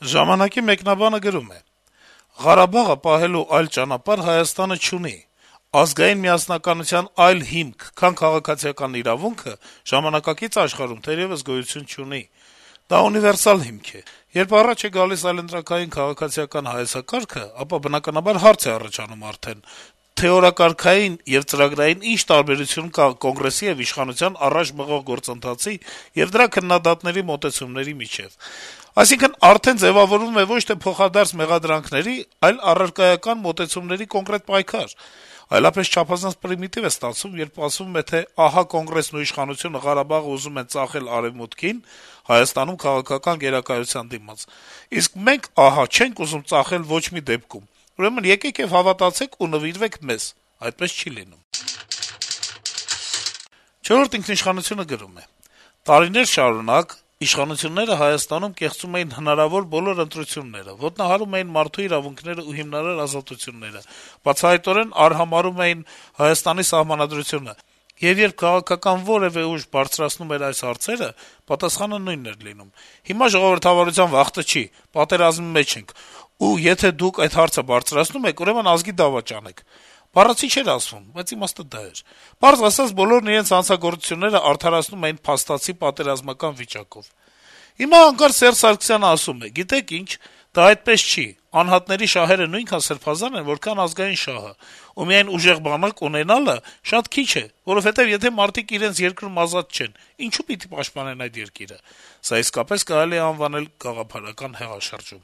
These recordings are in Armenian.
Ժամանակի մեկնաբանը գրում է. - «Ղարաբաղը պահելու այլ ճանապարհ Հայաստանը չունի: Ազգային միասնականության այլ հիմք, քան քաղաքացիական իրավունքը, ժամանակակից աշխարհում թերեւս գոյություն չունի: Դա ունիվերսալ հիմք է: Երբ առաջ է գալիս այլընտրանքային քաղաքացիական հայեցակարգը, ապա բնականաբար հարց է առաջանում արդեն` թեորակարգային եւ ծրագրային ինչ տարբերություն կա Կոնգրեսի եւ իշխանության առաջ մղող գործընթացի եւ դրա քննադատների մոտեցումների միջեւ: Այսինքն` արդեն ձեւավորվում է ոչ թե փոխադարձ մեղադրանքների, այլ առարկայական մոտեցումների կոնկրետ պայքար: Այլապես չափազանց պրիմիտիվ է ստացվում, երբ ասվում է, թե ահա Կոնգրեսն ու իշխանությունը Ղարաբաղը ուզում են ծախել Արեւմուտքին, Հայաստանում քաղաքական գերակայության դիմաց, իսկ մենք, ահա, չենք ուզում ծախել ոչ մի դեպքում: Ուրեմն եկեք եւ հավատացեք ու նվիրվեք մեզ: Այդպես չի լինում»: «Չորրորդ ինքնիշխանություն»-ը գրում է. - «Տարիներ շարունակ իշխանությունները Հայաստանում կեղծում էին հնարավոր բոլոր ընտրությունները, ոտնահարում էին մարդու իրավունքներն ու հիմնարար ազատությունները, բացահայտորեն արհամարհում էին Հայաստանի Սահմանադրությունը, եւ երբ քաղաքական որեւէ ուժ բարձրացնում էր այս հարցերը, պատասխանը նույնն էր լինում. հիմա ժողովրդավարության վախտը չի, պատերազմի մեջ ենք, ու եթե դուք այդ հարցը բարձրացնում եք, ուրեմն ազգի դավաճ անեք: Բառացի չէր ասվում, բայց իմաստը դա էր: Պարզ ասած, բոլորն իրենց հանցագործություններն արդարացնում էին փաստացի պատերազմական վիճակով: Հիմա հանկարծ Սերժ Սարգսյանը ասում է. գիտեք ինչ, դա այդպես չի, անհատների շահերը նույնքան սրբազան են, որքան ազգային շահը, ու միայն ուժեղ բանակ ունենալը շատ քիչ է, որովհետեւ եթե մարդիկ իրենց երկրում ազատ չեն, ինչու պիտի պաշտպանեն այդ երկիրը: Սա իսկապես կարելի է անվանել գաղափարական հեղաշրջում»: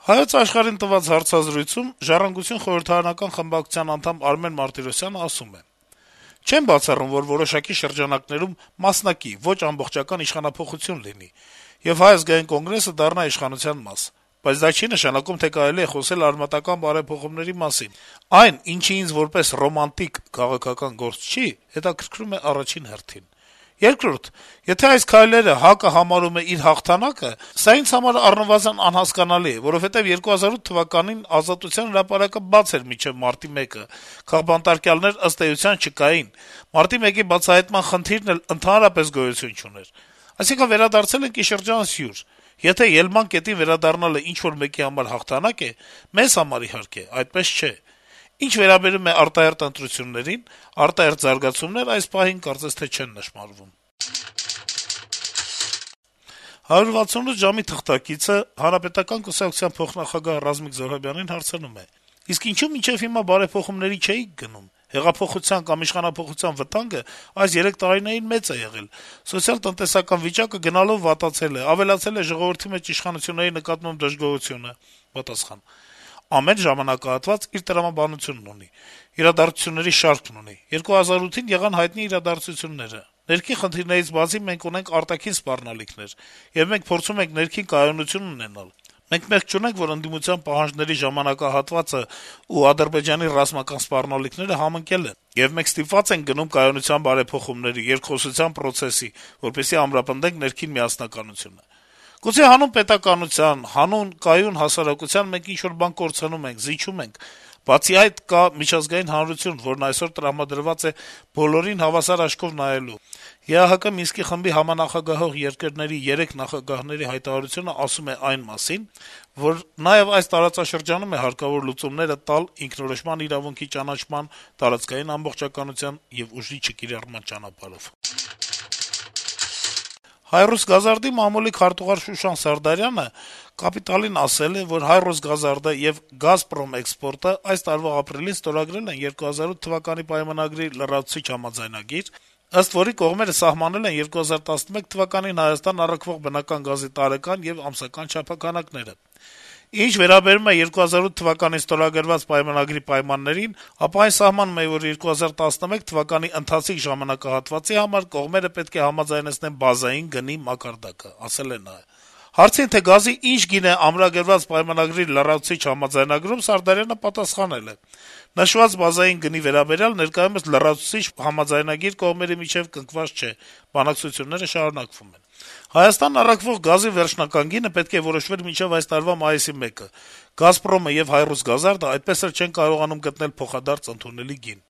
«Հայոց Աշխարհ»-ին տված հարցազրույցում «Ժառանգություն» խորհրդարանական խմբակցության անդամ Արմեն Մարտիրոսյանը ասում է. - «Չեմ բացառում, որ որոշակի շրջանակներում մասնակի, ոչ ամբողջական իշխանափոխություն լինի, եւ Հայ ազգային կոնգրեսը դառնա իշխանության մաս: Բայց դա չի նշանակում, թե կարելի է խոսել արմատական բարեփոխումների մասին: Այն, ինչը ինձ որպես ռոմանտիկ քաղաքական գործ չի, հետաքրքրում է առաջին հերթին: Երկրորդ, եթե այս քայլերը ՀԱԿ-ը համարում է իր հաղթանակը, սա ինձ համար առնվազն անհասկանալի է, որովհետեւ 2008 թվականին Ազատության հրապարակը բաց էր մինչեւ մարտի 1-ը, քաղբանտարկյալներ, ըստ էության, չկային, մարտի 1-ի բացահայտման խնդիրն էլ ընդհանրապես գոյություն չուներ: Այսինքն` վերադարձել ենք ի շրջանս հյուր: Եթե ելման կետին վերադառնալը ինչ-որ մեկի համար հաղթանակ է, մեզ համար, իհարկե, այդպես չէ: Ինչ վերաբերում է արտահերթ ընտրություններին, արտահերթ զարգացումներ այս պահին կարծես թե չեն նշմարվում»: «168 ժամ»-ի թղթակիցը Հանրապետական կուսակցության փոխնախագահ Ռազմիկ Զոհրաբյանին հարցնում է. - «Իսկ ինչո՞ւ մինչեւ հիմա բարեփոխումների չէիք գնում: Հեղափոխության կամ իշխանափոխության վտանգը այս 3 տարիներին մեծ է եղել: Սոցիալ-տնտեսական վիճակը գնալով վատացել է, ավելացել է ժողովրդի մեջ իշխանությունների նկատմամբ դժգոհությունը»: Պատասխան. - «Ամեն ժամանակահատված իր տրամաբանությունն ունի, իրադարձությունների շարքն ունի: 2008-ին եղան հայտնի իրադարձությունները: Ներքին խնդիրներից բացի մենք ունենք արտաքին սպառնալիքներ, եւ մենք փորձում ենք ներքին կայունություն ունենալ: Մենք մեղք չունենք, որ ընդդիմության պահանջների ժամանակահատվածն ու Ադրբեջանի ռազմական սպառնալիքները համընկել են, եւ մենք ստիպված ենք գնում կայունության բարեփոխումների, երկխոսության պրոցեսի, որպեսզի ամրապնդենք ներքին միասնականությունը: Գուցե հանուն պետականության, հանուն կայուն հասարակության մենք ինչ-որ բան կորցնում ենք, զիջում ենք: Բացի այդ, կա միջազգային հանրություն, որն այսօր տրամադրված է բոլորին հավասար աչքով նայելու: ԵԱՀԿ Մինսկի խմբի համանախագահող երկրների 3 նախագահների հայտարարությունը ասում է այն մասին, որ նաեւ այս տարածաշրջանում է հարկավոր լուծումները տալ ինքնորոշման իրավունքի ճանաչման, տարածքային ամբողջականության եւ ուժի չկիրառման ճանապարհով»: «Հայ-Ռուսգազարդ»-ի մամուլի քարտուղար Շուշան Սարդարյանը «Կապիտալ»-ին ասել է, որ «Հայ-Ռուսգազարդը» եւ «Գազպրոմ էքսպորտը» այս տարվա ապրիլին ստորագրել են 2008 թվականի պայմանագրի լրացուցիչ համաձայնագիր, ըստ որի կողմերը սահմանել են 2011 թվականին Հայաստան առաքվող բնական գազի տարեկան եւ ամսական չափաքանակները: Ինչ վերաբերում է 2008 թվականին ստորագրված պայմանագրի պայմաններին, ապա այն սահմանում է, որ 2011 թվականի ընթացիկ ժամանակահատվածի համար կողմերը պետք է համաձայնեցնեն բազային գնի մակարդակը: Հարցին, թե գազի ինչ գին է ամրագրված պայմանագրի լրացուցիչ համաձայնագրում, Սարդարյանը պատասխանել է. - «Նշված բազային գնի վերաբերյալ ներկայումս լրացուցիչ համաձայնագիր կողմերի միջեւ կնքված չէ, բանակցությունները շարունակվում են: Հայաստան առաքվող գազի վերջնական գինը պետք է որոշվեր մինչեւ այս տարվա մայիսի 1-ը: «Գազպրոմը» եւ «Հայ-Ռուսգազարդը» այդպես էլ չեն կարողանում գտնել փոխադարձ ընդունելի գին»: